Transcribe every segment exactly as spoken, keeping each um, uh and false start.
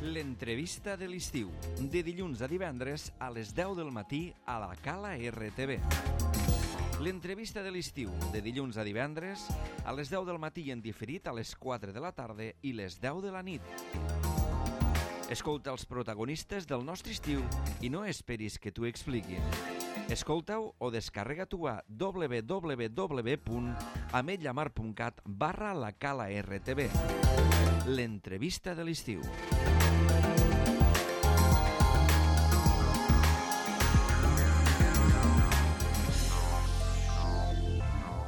L'entrevista de l'estiu, de dilluns a divendres a les deu del matí a la Cala R T V. L'entrevista de l'estiu, de dilluns a divendres a les deu del matí i en diferit a les quatre de la tarda i les deu de la nit. Escolta els protagonistes del nostre estiu i no esperis que t'ho expliquin. Escolta-ho o descarrega-t'ho a w w w punt ametlla mar punt cat barra la Cala R T V. L'entrevista de l'estiu.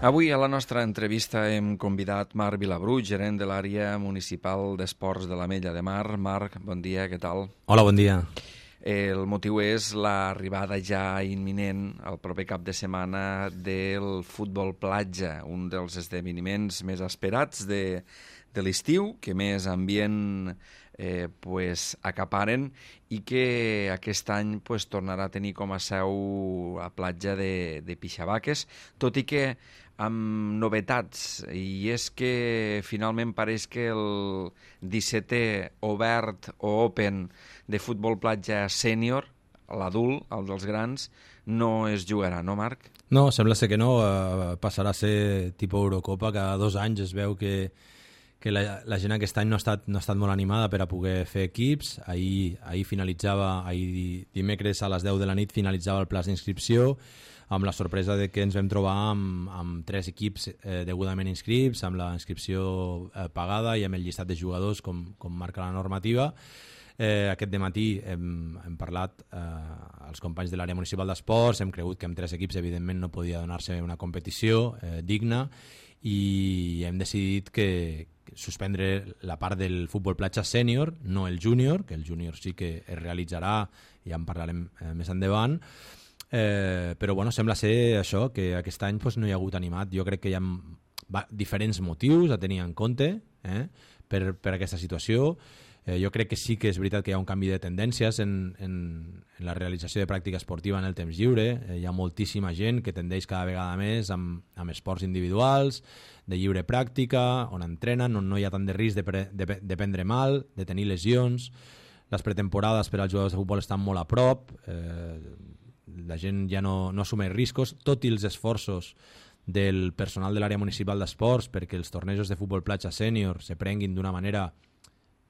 Avui a la nostra entrevista hem convidat Marc Vilabrú, gerent de l'àrea municipal d'esports de l'Ametlla de Mar. Marc, bon dia, què tal? Hola, bon dia. El motiu és l'arribada ja imminent, el proper cap de setmana, del futbol platja, un dels esdeveniments més esperats de, de l'estiu, que més ambient eh, pues, acaparen i que aquest any pues, tornarà a tenir com a seu la platja de, de Pixabaques, tot i que amb novetats, i és que finalment pareix que el dissetè obert o open de futbol platja sènior, l'adult, el dels grans, no es jugarà, no, Marc? No, sembla ser que no, uh, passarà a ser tipus Eurocopa, cada dos anys es veu que, que la, la gent aquest any no ha, estat, no ha estat molt animada per a poder fer equips. Ahir, ahir finalitzava, ahir dimecres a les deu de la nit finalitzava el plaç d'inscripció, amb la sorpresa de que ens vam trobar amb, amb tres equips eh, degudament inscrits, amb la inscripció eh, pagada i amb el llistat de jugadors com, com marca la normativa. Eh, aquest dematí hem, hem parlat eh, als companys de l'àrea municipal d'esports, hem cregut que amb tres equips evidentment no podia donar-se una competició eh, digna i hem decidit que, que suspendre la part del futbol platja sènior, no el júnior, que el júnior sí que es realitzarà i ja en parlarem eh, més endavant. Eh, però bueno, sembla ser això, que aquest any pues, no hi ha hagut animat. Jo crec que hi ha va, diferents motius a tenir en compte eh, per, per aquesta situació. Eh, jo crec que sí que és veritat que hi ha un canvi de tendències en, en, en la realització de pràctica esportiva en el temps lliure. Eh, hi ha moltíssima gent que tendeix cada vegada més amb, amb esports individuals, de lliure pràctica, on entrenen, on no hi ha tant de risc de, pre, de, de prendre mal, de tenir lesions. Les pretemporades per als jugadors de futbol estan molt a prop, eh, la gent ja no, no assumeix riscos, tot i els esforços del personal de l'àrea municipal d'esports perquè els tornejos de futbol platja sènior se prenguin d'una manera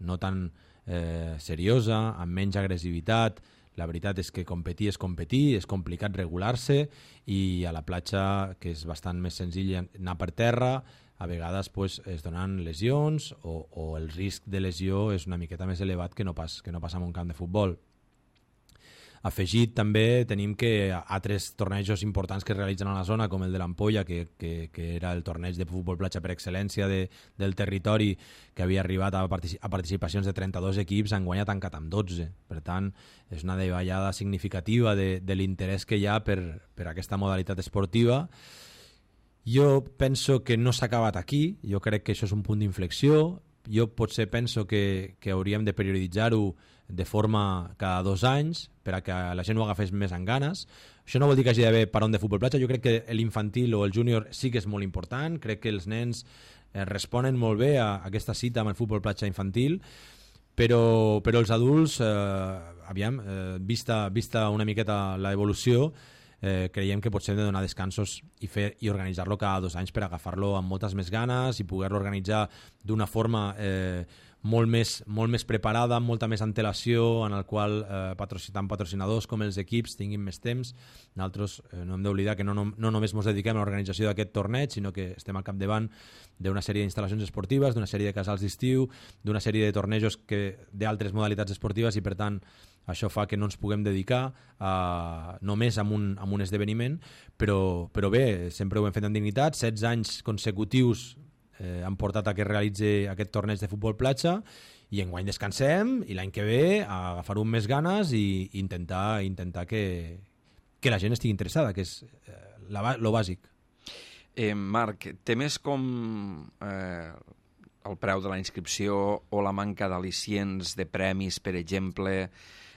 no tan eh, seriosa, amb menys agressivitat. La veritat és que competir és competir, és complicat regular-se i a la platja, que és bastant més senzill anar per terra, a vegades pues, es donen lesions o, o el risc de lesió és una miqueta més elevat que no pas, que no passa en un camp de futbol. Afegit també tenim que altres tornejos importants que es realitzen a la zona, com el de l'Ampolla, que, que, que era el torneig de futbol platja per excel·lència de, del territori, que havia arribat a, particip a participacions de trenta-dos equips, enguany ha tancat amb dotze. Per tant, és una davallada significativa de, de l'interès que hi ha per, per aquesta modalitat esportiva. Jo penso que no s'ha acabat aquí, jo crec que això és un punt d'inflexió. Jo potser penso que, que hauríem de perioditzar-ho de forma cada dos anys per a que la gent ho agafés més en ganes. Això no vol dir que hagi d'haver parón de futbol platja. Jo crec que l'infantil o el júnior sí que és molt important. Crec que els nens eh, responen molt bé a, a aquesta cita amb el futbol platja infantil, però, però els adults, eh, aviam, eh, vista, vista una miqueta l'evolució, Eh, creiem que potser hem de donar descansos i, fer, i organitzar-lo cada dos anys per agafar-lo amb moltes més ganes i poder-lo organitzar d'una forma eh, molt, més, molt més preparada, amb molta més antelació, en el qual eh, patrocin, tant patrocinadors com els equips tinguin més temps. Nosaltres eh, no hem d'oblidar que no, no, no només ens dediquem a l'organització d'aquest torneig, sinó que estem al capdavant d'una sèrie d'instal·lacions esportives, d'una sèrie de casals d'estiu, d'una sèrie de tornejos d'altres modalitats esportives i, per tant, això fa que no ens puguem dedicar a, només a un, a un esdeveniment, però, però bé, sempre ho hem fet amb dignitat. setze anys consecutius eh, han portat a que es realitzi aquest torneig de futbol platja i enguany descansem i l'any que ve a agafar-ho amb més ganes i intentar, intentar que, que la gent estigui interessada, que és eh, la, lo bàsic. Eh, Marc, temes com eh, el preu de la inscripció o la manca d'al·licients de premis, per exemple,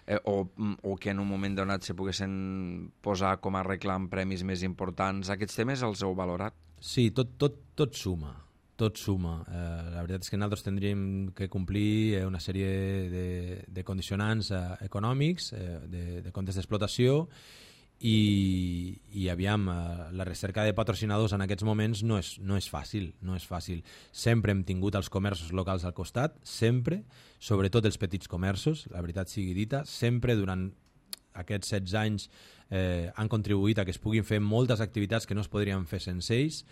eh, o, o que en un moment donat se poguessin posar com a reclam premis més importants, aquests temes els heu valorat? Sí, tot, tot, tot suma. tot suma. Eh, la veritat és que nosaltres tindríem que complir una sèrie de, de condicionants eh, econòmics, eh, de, de comptes d'explotació, i, i aviam, eh, la recerca de patrocinadors en aquests moments no és, no és fàcil, no és fàcil. Sempre hem tingut els comerços locals al costat, sempre, sobretot els petits comerços, la veritat sigui dita, sempre durant aquests setze anys eh, han contribuït a que es puguin fer moltes activitats que no es podrien fer sense ells.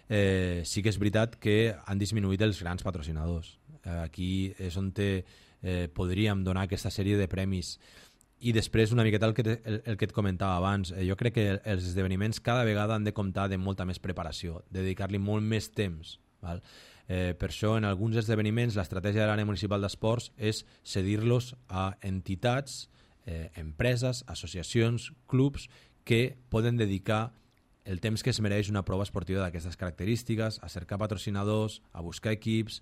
Eh, sí que és veritat que han disminuït els grans patrocinadors. Eh, aquí és on te, eh, podríem donar aquesta sèrie de premis. I després una miqueta el que, te, el, el que et comentava abans, eh, jo crec que els esdeveniments cada vegada han de comptar de molta més preparació, de dedicar-li molt més temps, val? Eh, per això en alguns esdeveniments l'estratègia de l'àrea municipal d'esports és cedir-los a entitats, eh, empreses, associacions, clubs que poden dedicar el temps que es mereix una prova esportiva d'aquestes característiques, a cercar patrocinadors, a buscar equips,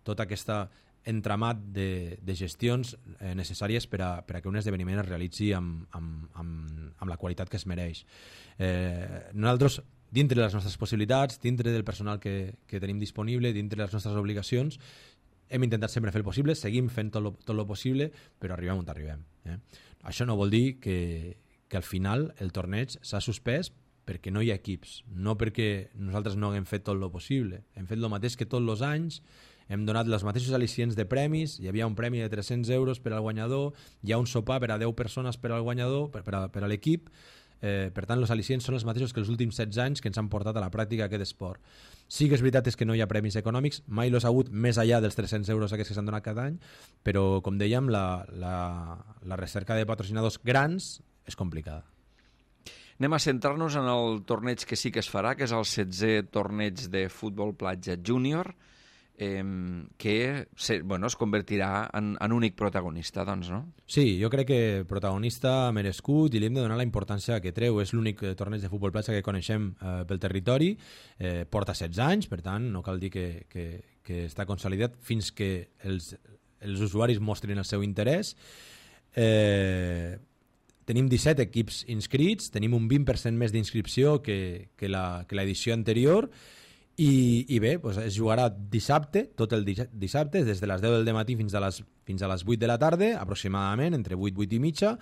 tota aquesta entramat de, de gestions eh, necessàries per a, per a que un esdeveniment es realitzi amb, amb, amb, amb la qualitat que es mereix. Eh, nosaltres, dintre de les nostres possibilitats, dintre del personal que, que tenim disponible, dintre de les nostres obligacions, hem intentat sempre fer el possible, seguim fent tot lo, tot lo possible, però arribem on arribem. Eh? Això no vol dir que, que al final el torneig s'ha suspès perquè no hi ha equips, no perquè nosaltres no haguem fet tot el possible. Hem fet el mateix que tots els anys, hem donat els mateixos al·licients de premis, hi havia un premi de tres-cents euros per al guanyador, hi ha un sopar per a deu persones per al guanyador, per, per, a, per a l'equip, eh, per tant els al·licients són els mateixos que els últims setze anys que ens han portat a la pràctica aquest esport. Sí que és veritat és que no hi ha premis econòmics, mai l'ha hagut més enllà dels tres-cents euros aquests que s'han donat cada any, però com dèiem, la, la, la recerca de patrocinadors grans és complicada. Anem a centrar-nos en el torneig que sí que es farà, que és el setzè torneig de futbol platja júnior, eh, que se, bueno, es convertirà en, en únic protagonista, doncs, no? Sí, jo crec que protagonista merescut i li hem de donar la importància que treu. És l'únic torneig de futbol platja que coneixem eh, pel territori, eh, porta setze anys, per tant, no cal dir que, que, que està consolidat fins que els, els usuaris mostrin el seu interès. Eh... Tenim disset equips inscrits, tenim un vint per cent més d'inscripció que, que l'edició anterior i, i bé, doncs es jugarà dissabte, tot el dissabte, des de les deu del matí fins a les, fins a les vuit de la tarda, aproximadament, entre vuit, vuit i mitja,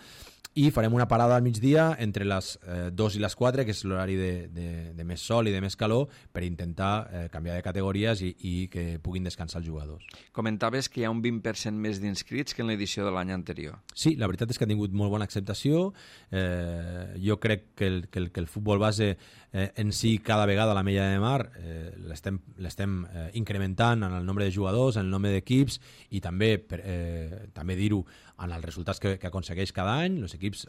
i farem una parada al migdia entre les eh, dos i les quatre, que és l'horari de, de, de més sol i de més calor, per intentar eh, canviar de categories i, i que puguin descansar els jugadors. Comentaves que hi ha un vint per cent més d'inscrits que en l'edició de l'any anterior. Sí, la veritat és que ha tingut molt bona acceptació. Eh, jo crec que el, que, el, que el futbol base eh, en si cada vegada a la Mella de Mar eh, l'estem eh, incrementant en el nombre de jugadors, en el nombre d'equips i també, per, eh, també dir-ho, en els resultats que, que aconsegueix cada any. Els equips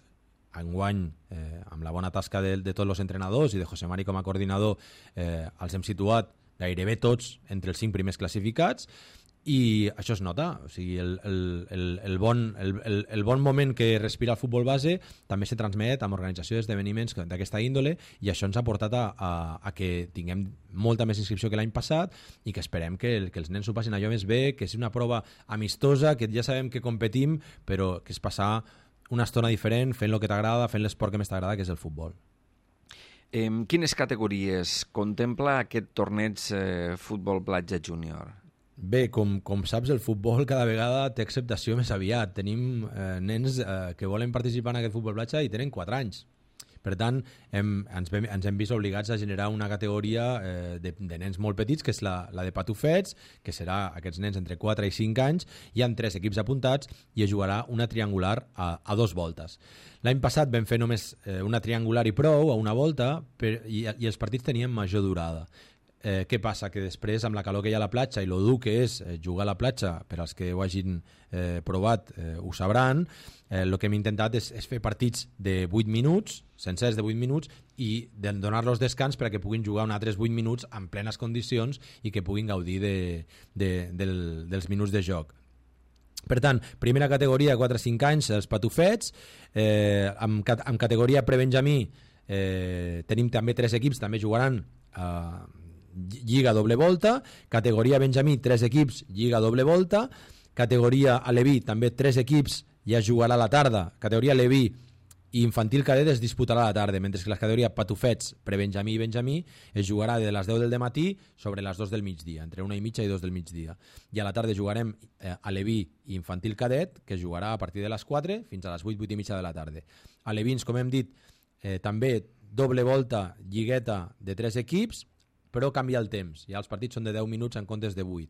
enguany, eh, amb la bona tasca de, de tots els entrenadors i de José Mari com a coordinador, eh, els hem situat gairebé tots entre els cinc primers classificats i això es nota. O sigui, el, el, el, el, bon, el, el, el bon moment que respira el futbol base també se transmet amb organització d'esdeveniments d'aquesta índole i això ens ha portat a, a, a que tinguem molta més inscripció que l'any passat i que esperem que, el, que els nens s'ho passin allò més bé, que és una prova amistosa, que ja sabem que competim, però que és passar una estona diferent fent el que t'agrada, fent l'esport que més t'agrada, que és el futbol. Eh, quines categories contempla aquest torneig eh, futbol platja júnior? Bé, com, com saps, el futbol cada vegada té acceptació més aviat. Tenim eh, nens eh, que volen participar en aquest futbol platja i tenen quatre anys. Per tant, hem, ens, hem, ens hem vist obligats a generar una categoria eh, de, de nens molt petits, que és la, la de patufets, que serà aquests nens entre quatre i cinc anys. Hi ha tres equips apuntats i es jugarà una triangular a, a dos voltes. L'any passat vam fer només eh, una triangular i prou, a una volta, per, i, i els partits tenien major durada. Eh, què passa? Que després, amb la calor que hi ha a la platja i lo dur que és eh, jugar a la platja, per als que ho hagin eh, provat eh, ho sabran, el eh, que hem intentat és, és fer partits de vuit minuts, sencers de vuit minuts, i de donar-los descans perquè puguin jugar uns altres vuit minuts en plenes condicions i que puguin gaudir de, de, del, dels minuts de joc. Per tant, primera categoria, quatre a cinc anys, els patufets. Eh, amb, amb categoria prebenjamí eh, tenim també tres equips, també jugaran eh, Lliga doble volta. Categoria benjamí, tres equips, Lliga doble volta. Categoria aleví, també tres equips, ja jugarà a la tarda. Categoria aleví, i infantil cadet es disputarà a la tarda, mentre que la categoria patufets, prebenjamí i benjamí es jugarà de les deu del matí sobre les dos del migdia, entre una i mitja i dos del migdia. I a la tarda jugarem eh, aleví i infantil cadet, que es jugarà a partir de les quatre fins a les vuit, vuit i mitja de la tarda. Alevins, com hem dit, eh, també doble volta, lligueta de tres equips, però canvia el temps. Ja els partits són de deu minuts en comptes de vuit.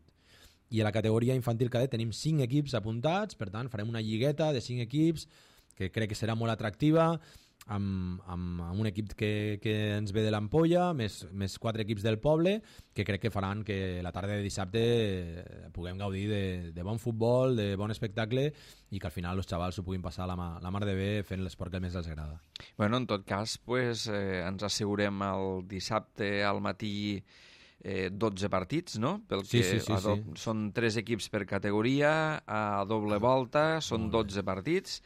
I a la categoria infantil cadet tenim cinc equips apuntats, per tant farem una lligueta de cinc equips que crec que serà molt atractiva, amb, amb, amb un equip que, que ens ve de l'Ampolla, més, més quatre equips del poble, que crec que faran que la tarda de dissabte puguem gaudir de, de bon futbol, de bon espectacle, i que al final els xavals s'ho puguin passar la, mà, la mar de bé fent l'esport que més els agrada. Bueno, en tot cas, pues, eh, ens assegurem el dissabte al matí eh, dotze partits, no? Pel sí, que sí, sí, do... sí. Són tres equips per categoria, a doble volta, són dotze partits,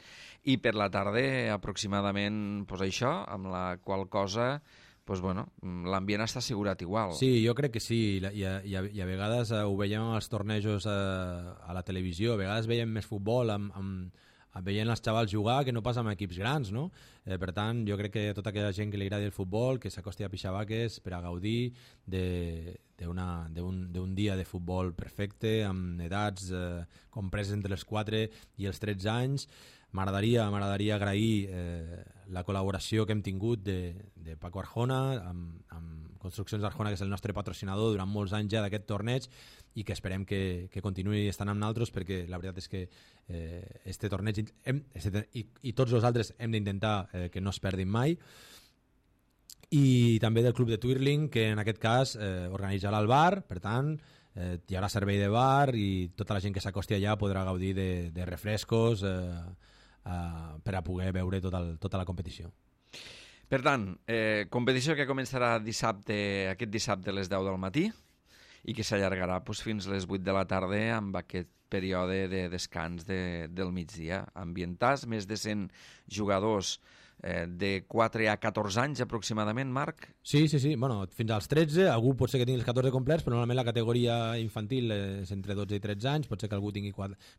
i per la tarda aproximadament pues, això, amb la qual cosa pues, bueno, l'ambient està assegurat igual. Sí, jo crec que sí, i, i, i, a, i a vegades eh, ho veiem als tornejos eh, a la televisió, a vegades veiem més futbol amb, amb, amb veient els xavals jugar que no pas amb equips grans, no? Eh, per tant, jo crec que tota aquella gent que li agradi el futbol, que s'acosti a Pixabaques per a gaudir d'un dia de futbol perfecte, amb edats eh, compreses entre els quatre i els tretze anys. M'agradaria m'agradaria agrair eh, la col·laboració que hem tingut de, de Paco Arjona, amb, amb Construccions Arjona, que és el nostre patrocinador durant molts anys ja d'aquest torneig, i que esperem que, que continuï estant amb nosaltres, perquè la veritat és que eh, este torneig hem, este, i, i tots els altres hem d'intentar eh, que no es perdin mai. I també del Club de Twirling, que en aquest cas eh, organitzarà el bar, per tant eh, hi haurà servei de bar i tota la gent que s'acosti allà podrà gaudir de, de refrescos eh, Uh, per a poder veure tot el, tota la competició. Per tant, eh, competició que començarà dissabte, aquest dissabte a les deu del matí i que s'allargarà pues, fins a les vuit de la tarda amb aquest període de descans de, del migdia. Ambientats, més de cent jugadors eh, de quatre a catorze anys aproximadament, Marc? Sí, sí, sí. Bueno, fins als tretze, algú pot ser que tingui els catorze complets, però normalment la categoria infantil és entre dotze i tretze anys, pot ser que algú tingui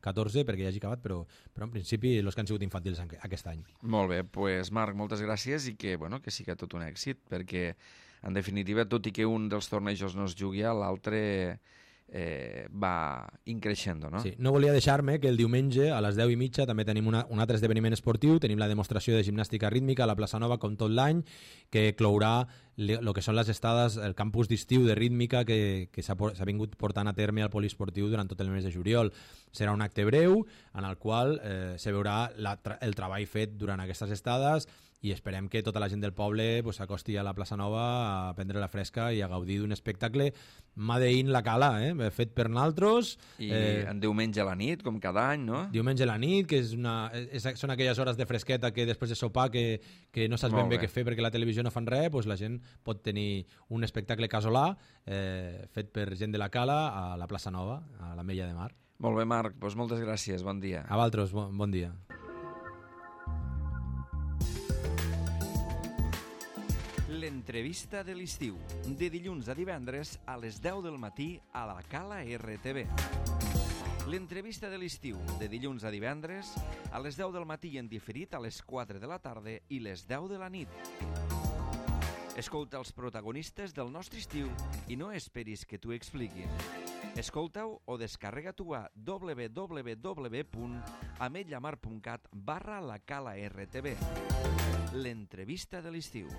catorze perquè ja hagi acabat, però, però en principi els que han sigut infantils aquest any. Molt bé, pues, Marc, moltes gràcies i que, bueno, que sigui tot un èxit, perquè en definitiva, tot i que un dels tornejos no es jugui, l'altre eh, va increixendo, no? Sí, no volia deixar-me que el diumenge a les deu i mitja també tenim una, un altre esdeveniment esportiu, tenim la demostració de gimnàstica rítmica a la plaça Nova com tot l'any, que clourà el que són les estades, el campus d'estiu de rítmica que, que s'ha vingut portant a terme al poliesportiu durant tot el mes de juliol. Serà un acte breu en el qual eh, se veurà la, el treball fet durant aquestes estades i esperem que tota la gent del poble s'acosti pues, a la plaça Nova a prendre la fresca i a gaudir d'un espectacle made in la cala, eh? fet per naltros. I eh, en diumenge a la nit, com cada any, no? Diumenge a la nit, que és una, és, són aquelles hores de fresqueta que després de sopar que, que no saps ben bé què fer perquè la televisió no fan res, doncs la gent pot tenir un espectacle casolà eh, fet per gent de la cala a la plaça Nova, a l'Ametlla de Mar. Molt bé, Marc, doncs moltes gràcies, bon dia. A vosaltres, bon, bon dia. L'entrevista de l'estiu, de dilluns a divendres a les deu del matí a la Cala R T V. L'entrevista de l'estiu, de dilluns a divendres a les deu del matí i en diferit a les quatre de la tarda i les deu de la nit. Escolta els protagonistes del nostre estiu i no esperis que t'ho expliquin. Escolta-ho o descarrega-t'ho a w w w punt ametlla mar punt cat barra la Cala R T V. L'entrevista de l'estiu.